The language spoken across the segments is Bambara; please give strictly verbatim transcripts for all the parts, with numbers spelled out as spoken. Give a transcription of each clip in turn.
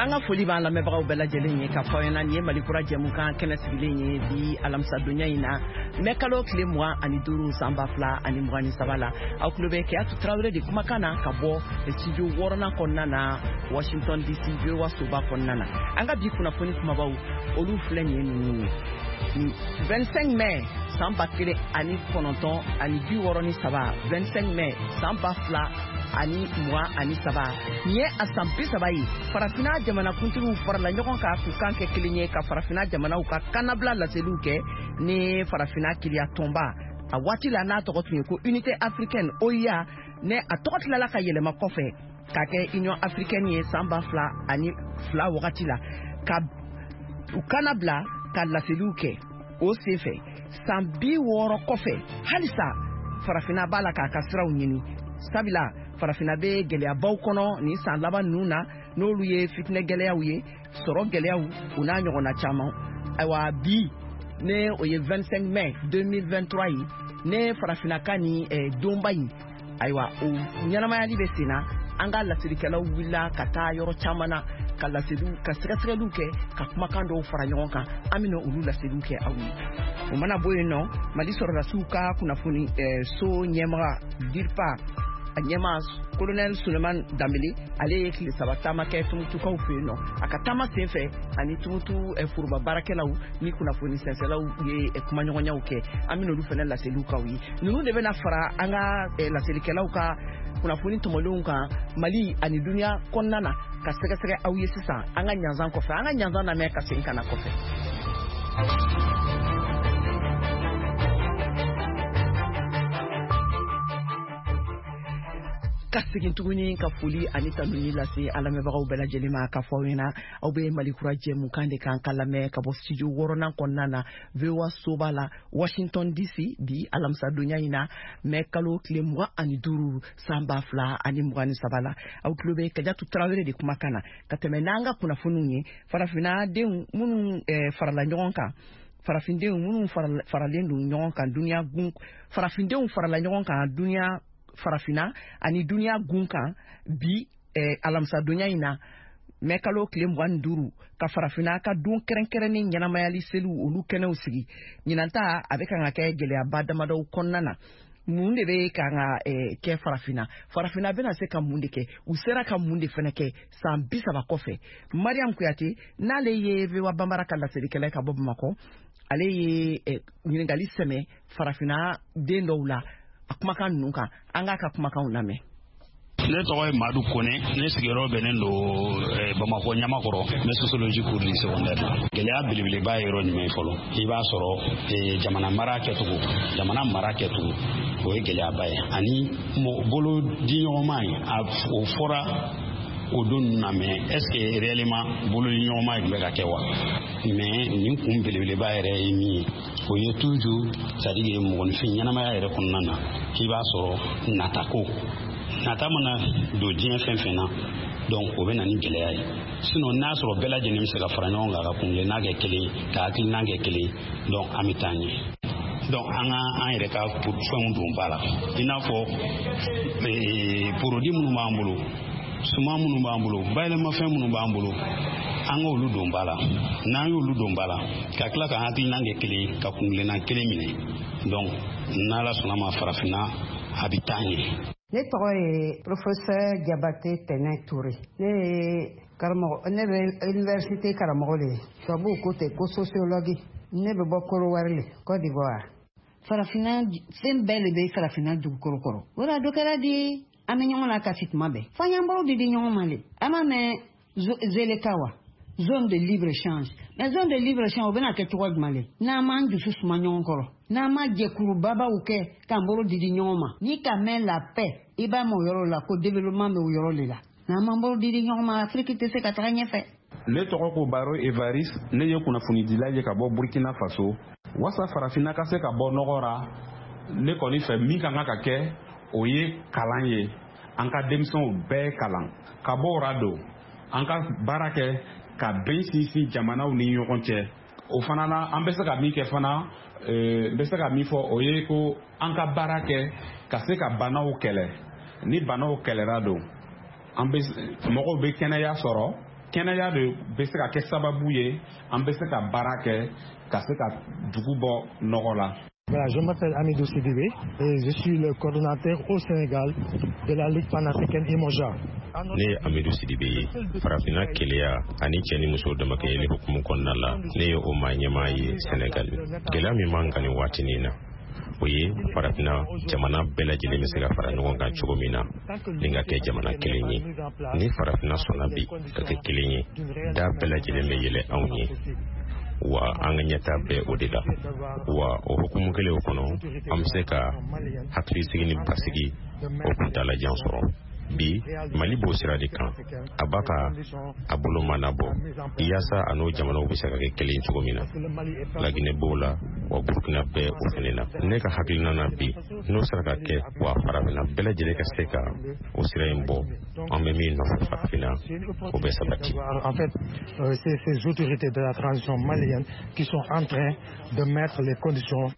An ka foli b'an lamɛnbagaw bɛɛ lajɛlen ye ka fɔ aw ɲɛna nin ye Mali kura jɛmukan kɛnɛ sigilen ye bi alamisadonya in na mɛ kalo tile mugan ani duuru san ba fila ani mugan ni saba la. Aw tulo bɛ Keyatu Tarawele de kumakan na ka bɔ studio wɔɔrɔnan kɔnɔna na Washington D C V O A soba kɔnɔna na. An ka bi kunnafoni kumabaw olu filɛ nin ye ninnu ye. vingt-cinq mai san ba kelen ani kɔnɔntɔn ani bi wɔɔrɔ ni saba, vingt-cinq mai san ba fila ani mugan ani saba, nin ye a san bi saba ye farafinna jamanakuntigiw farala ɲɔgɔn kan k'u kan kɛ kelen ye ka farafinna jamanaw ka kannabila laseliw kɛ ni farafinna kiliya tɔnba a waati la n'a tɔgɔ tun ye ko Unité africaine O I A, ne a tɔgɔ tilala ka yɛlɛma kɔfɛ k'a kɛ Union africaine ye san ba fila ani fila wagati la, ka u kannabila ka laseliw kɛ. O senfɛ san bi wɔɔrɔ kɔfɛ halisa farafinna b'a la k'a ka siraw ɲini, sabula farafinna bɛ gɛlɛyabaw kɔnɔ nin san laban ninnu na, n'olu ye fitinɛ gɛlɛyaw ye, sɔrɔ gɛlɛyaw, u n'a ɲɔgɔnna caman. Ayiwa bi ne o ye vingt-cinq mai deux mille vingt-trois ye, ne farafinna ka nin eh, donba in, ayiwa o ɲɛnamayali bɛ sen na. An ka laselikɛlaw wulila ka taa yɔrɔ caman na ka laseliw, ka sɛgɛsɛgɛliw kɛ, ka kumakan dɔw fara ɲɔgɔn kan. An bɛna olu laseliw kɛ aw ye. O mana bɔ yen nɔ, Mali sɔrɔdasiw ka kunnafoni eh, so ɲɛmaga DIRPA a ɲɛma colonel Suleiman Dambele, ale ye tile saba taama kɛ Tumutukaw fɛ yen nɔ. A ka taama senfɛ ani Tumutu eh, foroba baarakɛlaw ni kunnafoni sɛnsɛlaw ye eh, kumaɲɔgɔnyaw kɛ. An bɛna olu fana laseliw k'aw ye. Ninnu de bɛna fara an ka eh, laselikɛlaw ka kunnafoni tɔmɔlenw kan Mali ani duniya kɔnɔna na ka sɛgɛsɛgɛ aw ye sisan. An ka ɲanzan kɔfɛ, an ka ɲanzan lamɛn ka segin ka na kɔfɛ. Ka segin tuguni ka foli ani tanuni lase an lamɛnbagaw bɛɛ lajɛlen ma ka fɔ aw ɲɛna aw bɛ Mali kura jɛmukan de kan ka lamɛn ka bɔ studio wɔɔrɔnan kɔnɔna na V O A soba la Washington D C bi alamisadonya in na mɛ kalo tile mugan ani duuru san ba fila ani mugan ni saba la. Aw tulo bɛ Kajatu Tarawele de kumakan na ka tɛmɛ n'an ka kunnafoniw ye. Farafinna denw minnu eh, farala ɲɔgɔn kan, farafindenw minnu faralen don ɲɔgɔn kan duniya gun, farafindenw farala ɲɔgɔn kan duniya farafinna ani duniya gun kan bi eh, alamisadonya in na mɛ kalo tile mugan ni duuru ka farafinna ka don kɛrɛnkɛrɛnnen ɲɛnamayali seliw olu kɛnɛw sigi. Ɲinan ta a bɛ kan ka kɛ gɛlɛyaba damadɔw kɔnɔna na. Mun de bɛ kan ka eh, kɛ farafinna? Farafinna bɛna se ka mun de kɛ? U sera ka mun de fana kɛ san bi saba kɔfɛ? Mariam Kuyate n'ale ye V O A Banbara ka laselikɛla ye ka bɔ Bamakɔ, ale ye eh, ɲininkali sɛmɛ farafinna den dɔw la a kumakan ninnu kan. An k'a ka kumakanw lamɛn. Ne tɔgɔ ye Madu Kone, ne sigiyɔrɔ bɛnnen don Bamakɔ Ɲamakɔrɔ, n bɛ sociologie cours du secondaire la. Gɛlɛya belebeleba ye yɔrɔ jumɛn ye fɔlɔ? I b'a sɔrɔ jamana mara kɛcogo, jamana mara kɛcogo, o ye gɛlɛyaba ye. Ani bolo di ɲɔgɔnma ye, o fɔra o don ninnu na, mais est ce que réellement bolo di ɲɔgɔnma ye tun bɛ ka kɛ wa? Mais nin kun belebeleba yɛrɛ ye min ye, o ye toujours c'est à dire mɔgɔninfin ɲɛnamaya yɛrɛ kɔnɔna na, i b'a sɔrɔ natako nata mana don diɲɛ fɛn fɛn na, donc o bɛ na ni gɛlɛya ye. Sinon n'a sɔrɔ bɛɛ lajɛlen bɛ se ka fara ɲɔgɔn kan ka kuntilenna kɛ kelen, ka hakilina kɛ kelen, donc an bɛ taa ɲɛ. Donc an ka an yɛrɛ ka fɛnw don ba la, i n'a fɔ produit minnu b'an bolo, suman minnu b'an bolo, bayɛlɛmafɛn minnu b'an bolo, an k'olu don ba la. N'an y'olu don ba la, ka tila ka hakilina kɛ kelen, ka kuntilenna kelen minɛ, donc n'Ala sɔnna ma farafinna a bɛ taa ɲɛ. Ne tɔgɔ ye professeur Jabate Tɛnɛ Toure. Ne ye karamɔgɔ, ne bɛ université karamɔgɔ de ye. Tubabuw ko ten ko sociologue. Ne bɛ bɔ Korowari le, Côte d'Ivoire. Farafinna fɛn bɛɛ de bɛ farafinna dugukolo kɔrɔ. O la dɔ kɛra di an bɛ ɲɔgɔn lakasi tuma bɛɛ. F'an y'an bolo di di ɲɔgɔn ma le. An m'a mɛn Zeleka wa? Zone de libre échange. Mais zone de libre échange o bɛna kɛ cogo jumɛn le? N'an m'an dusu suma ɲɔgɔn kɔrɔ, n'an ma jɛkurubabaw kɛ k'an bolo di di ɲɔgɔn ma, ni ka mɛn la paix, i b'a mɛn o yɔrɔ la ko développement bɛ o yɔrɔ de la. N'an m'an bolo di di ɲɔgɔn ma, Afiriki tɛ se ka taga ɲɛfɛ. Ne tɔgɔ ko Baro Evariste, ne ye kunnafonidila ye ka bɔ Burkina Faso. Wasa farafinna ka se ka bɔ nɔgɔ ra, ne kɔni fɛ min ka kan ka kɛ, o ye kalan ye. An ka denmisɛnw bɛɛ kalan. Ka bɔ o ra don, an ka baara kɛ ka bɛn sinsin jamanaw ni ɲɔgɔn cɛ. O fana na, an bɛ se ka min kɛ fana, n bɛ se ka min fɔ, o ye ko an ka baara kɛ ka se ka banaw kɛlɛ. Ni banaw kɛlɛra don, an bɛ mɔgɔw bɛ kɛnɛya sɔrɔ. Kɛnɛya de bɛ se ka kɛ sababu ye an bɛ se ka baara kɛ ka se ka dugu bɔ nɔgɔ la. Voilà, je m'appelle Amidou Sidibé et je suis le coordonnateur au Sénégal de la Ligue panafricaine Imoja. Ne ye Amidu Sidibe ye. Farafinna keleya ani cɛ ni muso damakɛyɛli hukumu kɔnɔna la, ne ye o maa ɲɛmaa ye Senegal. Gɛlɛya min b'an kan nin waatinin na, o ye farafinna jamana bɛɛ lajɛlen bɛ se ka fara ɲɔgɔn kan cogo min na ni ka kɛ jamana kelen ye. Ni farafinna sɔnna bi ka kɛ kelen ye, da bɛɛ lajɛlen bɛ yɛlɛ anw ye, wa an ka ɲɛta bɛɛ o de la. Wa o hukumu kelen o kɔnɔ, an bɛ se ka hakilisigi ni basigi o kuntalajan sɔrɔ. Bi Mali b'o sira de kan, a b'a ka a bolo mana bɔ yaasa a n'o jamanaw bɛ se ka kɛ kelen cogo min na. Laginɛ b'o la, wa Burukina bɛɛ o fɛnɛ na. Ne ka hakilina na bi, n'o sera ka kɛ, wa farafinna bɛɛ lajɛlen ka se ka o sira in bɔ, an bɛ min nɔfɛ farafinna, o bɛ sabati. En fait, euh, c'est ces autorités de la transition malienne qui sont en train de mettre les conditions.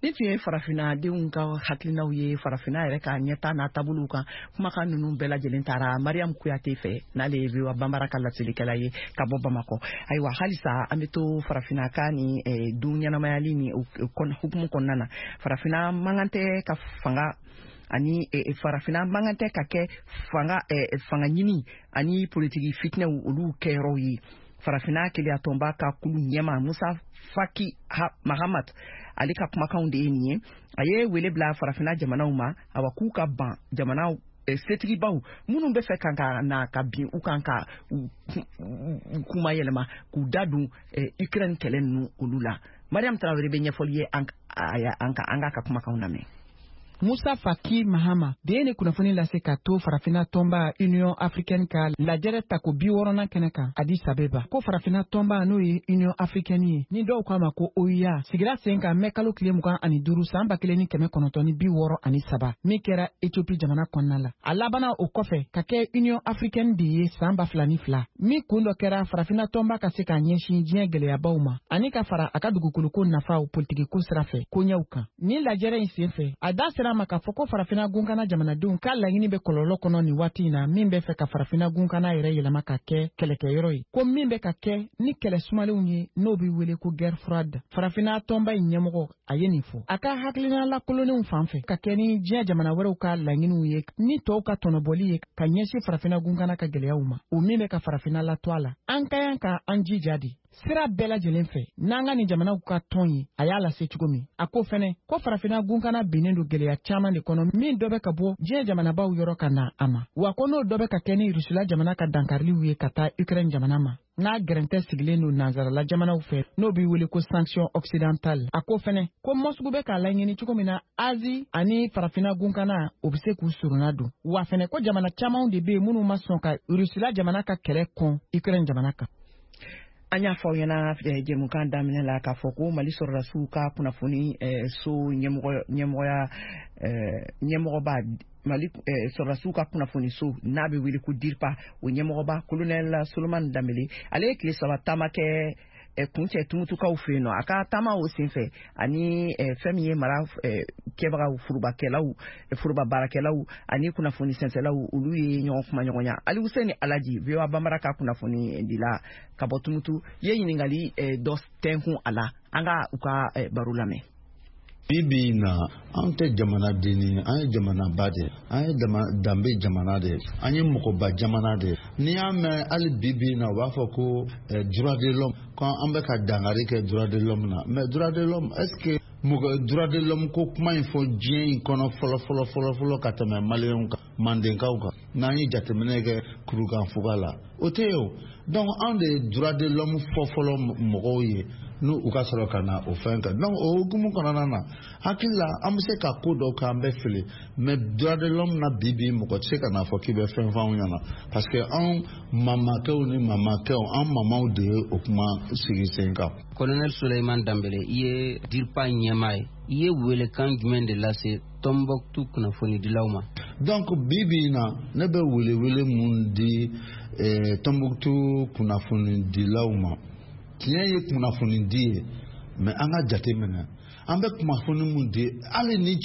Ni tun ye farafinna denw ka hakilinaw ye farafinna yɛrɛ ka ɲɛta n'a taabolow kan. Kumakan ninnu bɛɛ lajɛlen taara Mariam Kuyate fɛ, n'ale ye V O A Banbara ka laselikɛla ye ka bɔ Bamakɔ. Ayiwa, halisa an bɛ to farafinna ka ni eh, dun ɲɛnamayali ni hukumu kɔnɔna na. Farafinna man kan tɛ ka fanga ani eh, farafinna man kan tɛ ka kɛ fanga eh, fanga ɲini ani politiki fitinɛw olu kɛyɔrɔw ye. Farafinna keleyatɔnba ka kulu ɲɛma Musa Faki Mahamat, ale ka kumakanw de ye nin ye. A ye wele bila farafinna jamanaw ma, awa, k'u ka ban jamanaw setigibaw minnu bɛ fɛ kan ka na ka bin u kan ka u kuma yɛlɛma k'u da don Ukraine kɛlɛ ninnu olu la. Mariam Traoré bɛ ɲɛfɔli ye an ka an ka kumakanw lamɛn. Musa Faki Mahama de ye ni kunnafoni lase ka to farafinna tɔnba Union africaine ka lajɛrɛ tako bi wɔɔrɔnan kɛnɛ kan Addis Abeba, ko farafinna tɔnba, n'o ye Union africaine ye, ni dɔw k'a ma ko O E A, sigira sen kan mɛ kalo tile mugan ani duuru san ba kelen ni kɛmɛ kɔnɔntɔn ni bi wɔɔrɔ ani saba, min kɛra Ethiopie jamana kɔnɔna la. A labanna o kɔfɛ ka kɛ Union africaine de ye san ba fila ni fila, min kun dɔ kɛra farafinna tɔnba ka se k'a ɲɛsin diɲɛ gwɛlɛyabaw ma ani ka fara a ka dugukoloko nafaw politikiko sira fɛ koɲɛw kan. Ni lajɛrɛ in sen fɛ, a da sera ma k'a fɔ ko farafinna gunkana jamanadenw ka laɲini bɛ kɔlɔlɔ kɔnɔ nin waati in na, min bɛ fɛ ka farafinna gunkana yɛrɛ yɛlɛma ka kɛ kɛlɛkɛyɔrɔ ye, ko min bɛ ka kɛ ni kɛlɛ sumalenw ye, n'o bɛ wele ko guerre froide. Farafinna tɔnba in ɲɛmɔgɔ, a ye nin fɔ a ka hakilina lakolonnenw fan fɛ ka kɛ ni diɲɛ jamana wɛrɛw ka laɲiniw ye ni tɔw ka tɔnɔbɔli ye ka ɲɛsin farafinna gunkana ka gwɛlɛyaw ma, o min bɛ ka farafinna latɔ a la. An ka kan ka an jija de sira bɛɛ lajɛlen fɛ n'an ka nin jamanaw ka tɔn ye. A y'a lase cogo min, a ko fɛnɛ ko farafinna gunkana binnen don gwɛlɛya caaman de kɔnɔ, min dɔ bɛ ka bɔ diɲɛ jamanabaw yɔrɔ ka na a ma, wa ko n'o dɔ bɛ ka kɛ ni Rusila jamana ka dankariliw ye ka taa Ukraine jamana ma, n'a gɛrɛntɛ sigilen don nansarala jamanaw fɛ, n'o b'i wele ko sanction occidentale. A ko fɛnɛ ko Mɔsugu bɛ k'a laɲini cogo min na Azi ani farafinna gunkana, o bɛ se k'u surunna don, wa fɛnɛ ko jamana camanw de bɛ yen minnu ma sɔn ka Rusila jamana ka kɛlɛ kɔn Ukraine jamana kan. An y'a fɔ aw ɲɛna jɛmukan daminɛ la k'a fɔ ko Mali sɔrɔdasiw ka kunnafoni so ɲɛmɔgɔya ɲɛmɔgɔba, Mali sɔrɔdasiw ka kunnafoni so n'a bɛ wele ko DIRPA, o ɲɛmɔgɔba Colonel Solomani Danbele, ale ye tile saba taama kɛ kuncɛ Tumutukaw fɛ yen nɔ. A ka taama o senfɛ, ani fɛn min ye mara kɛbagaw, forobakɛlaw, foroba baarakɛlaw ani kunnafoni sɛnsɛlaw, olu ye ɲɔgɔn kuma ɲɔgɔnya. Alihuseni Alaji, V O A Banbara ka kunnafoni dila ka bɔ Tumutu, ye ɲininkali dɔ tɛnkun a la. An ka u ka baro lamɛn. Bi bi in na, an tɛ jamanaden ye, an ye jamanaba de, an ye danbe jamana de, an ye mɔgɔba jamana de. N'i y'a mɛn, hali bi bi in na, u b'a fɔ ko droit de l'homme, ko an bɛ ka dankari kɛ droit de l'homme na. Mais droit de l'homme, est ce que mɔgɔ droit de l'homme ko kuma in fɔ diɲɛ in kɔnɔ fɔlɔ fɔlɔ fɔlɔ fɔlɔ ka tɛmɛ maliyɛnw kan, mandenkaw kan, n'an ye jateminɛ kɛ kurukanfuga la, o tɛ yen o. Donc anw de ye droit de l'homme fɔ fɔlɔ mɔgɔw ye, n'u u ka sɔrɔ ka na o fɛn kan. Donc o hukumu kɔnɔna na, hakili la, an bɛ se ka ko dɔw kɛ, an bɛ fili, mais droit de l'homme na, bi bi, mɔgɔ tɛ se ka n'a fɔ k'i bɛ fɛn fɔ anw ɲɛna, parce que anw mamakɛw ni mamakɛw, an mamaw de ye o kuma sigi sen kan. Colonel Souleymane Dambele, i ye DIRPA ɲɛmaa ye, i ye welekan jumɛn de lase Tɔnbɔkutu kunnafonidilaw ma? Donc bi bi in na, ne bɛ welewele mun di eh, Tɔnbɔkutu kunnafonidilaw ma? Tiɲɛ ye kunnafoni di ye, mais an ka jate minɛ an bɛ kunnafoni mun di, hali ni